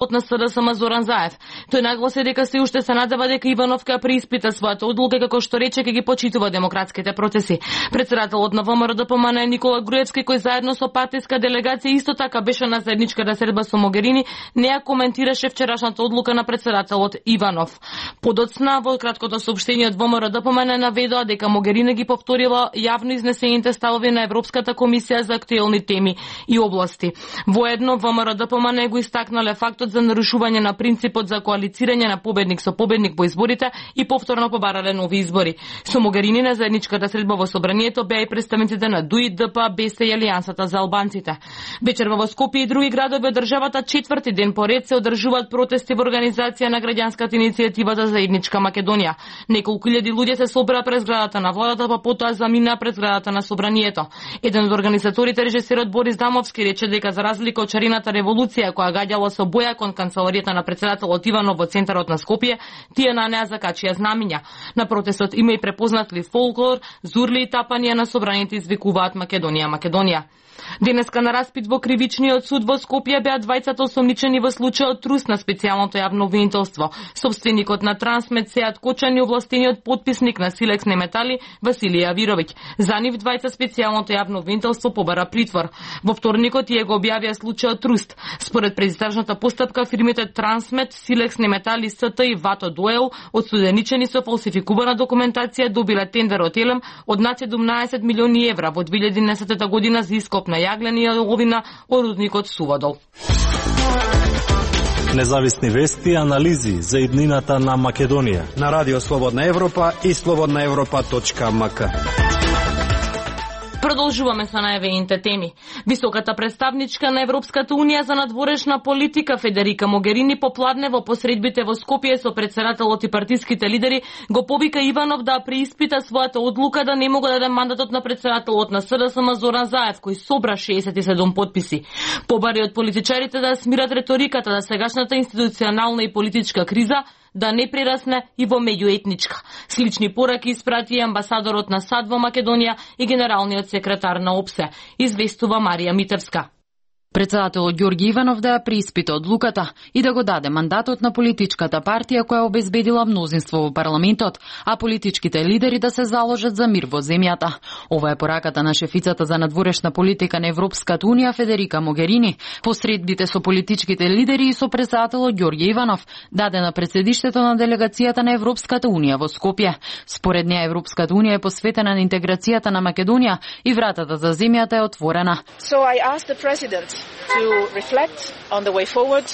на СДСМ Зоран Заев. Тој нагласи дека се уште се надева дека Иванов ќе преиспита својата одлука, како што рече ќе ги почитува демократските процеси. Председателот на ВМРО-ДПМН Никола Груевски, кој заедно со партиска делегација исто така беше на заедничката средба со Могерини, не ја коментираше вчерашната одлука на председателот Иванов. Подоцна во краткото соопштение од ВМРО-ДПМН наведоа дека Могерини ги повторила јавно изнесените ставови на Европската комисија за актуелни теми и области. Воедно ВМРО-ДПМН го истакнале фактот за нарушување на принципот за коалицирање на победник со победник во изборите и повторно побарале нови избори. Со Могерини на заедничката средба во собранието беа и представниците на ДУИ, ДП, БЕС и Алијансата за албанците. Вечерва во Скопје и други градови од државата четврти ден поред се одржуваат протести во организација на граѓанската иницијатива за заедничка Македонија. Неколку илјади луѓе се собраа пред зградата на владата, па потоа заминаа пред зградата на собранието. Еден од организаторите, режисерот Борис Дамовски, рече дека за разлика од шарената револуција која гаѓала со боја кон канцеларијата на председателот Иванов во центарот на Скопје, тие на неа закачија знамиња. На протестот има и препознатли фолклор, зурли и тапања на собраните извикуваат Македонија, Македонија. Денеска на распит во кривичниот суд во Скопје беа двајцата осомничени во случајот трус на специјалното јавно обвинителство. Собственикот на Трансмет Сеат Кочан и овластениот подписник на Силекс Неметали Василија Авировиќ. За нив двајца специјалното јавно обвинителство побара притвор. Во вторникот тие го објавија случајот труст. Според предистражната постапка фирмите Трансмет, Силекс Неметали СТ и Вато Дуел одсуденичени со фалсификувана документација добиле тендер од Елем од над 17 милиони евра во 2010 година за ископ на јаглени и оловина од рудникот Суводол. Независни вести и анализи за иднината на Македонија на Радио Слободна Европа и slobodnaevropa.mk. Продолжуваме со најавените теми. Високата представничка на Европската унија за надворешна политика Федерика Могерини попладне во посредбите во Скопје со председателот и партиските лидери го повика Иванов да преиспита својата одлука да не мога да даде мандатот на председателот на СДСМ Зоран Заев, кој собра 67 подписи. Побари од политичарите да смират реториката да сегашната институционална и политичка криза да не прерасне и во меѓуетничка. Слични пораки испрати амбасадорот на САД во Македонија и генералниот секретар на ОПСЕ, известува Марија Митевска. Председателот Ѓорги Иванов да ја преиспита одлуката и да го даде мандатот на политичката партија која обезбедила мнозинство во парламентот, а политичките лидери да се заложат за мир во земјата. Ова е пораката на шефицата за надворешна политика на Европската унија Федерика Могерини, посредбите со политичките лидери и со председателот Ѓорги Иванов, даде на председиштето на делегацијата на Европската унија во Скопје. Според неа Европската унија е посветена на интеграцијата на Македонија и вратата за земјата е отворена. So I asked the president to reflect on the way forward.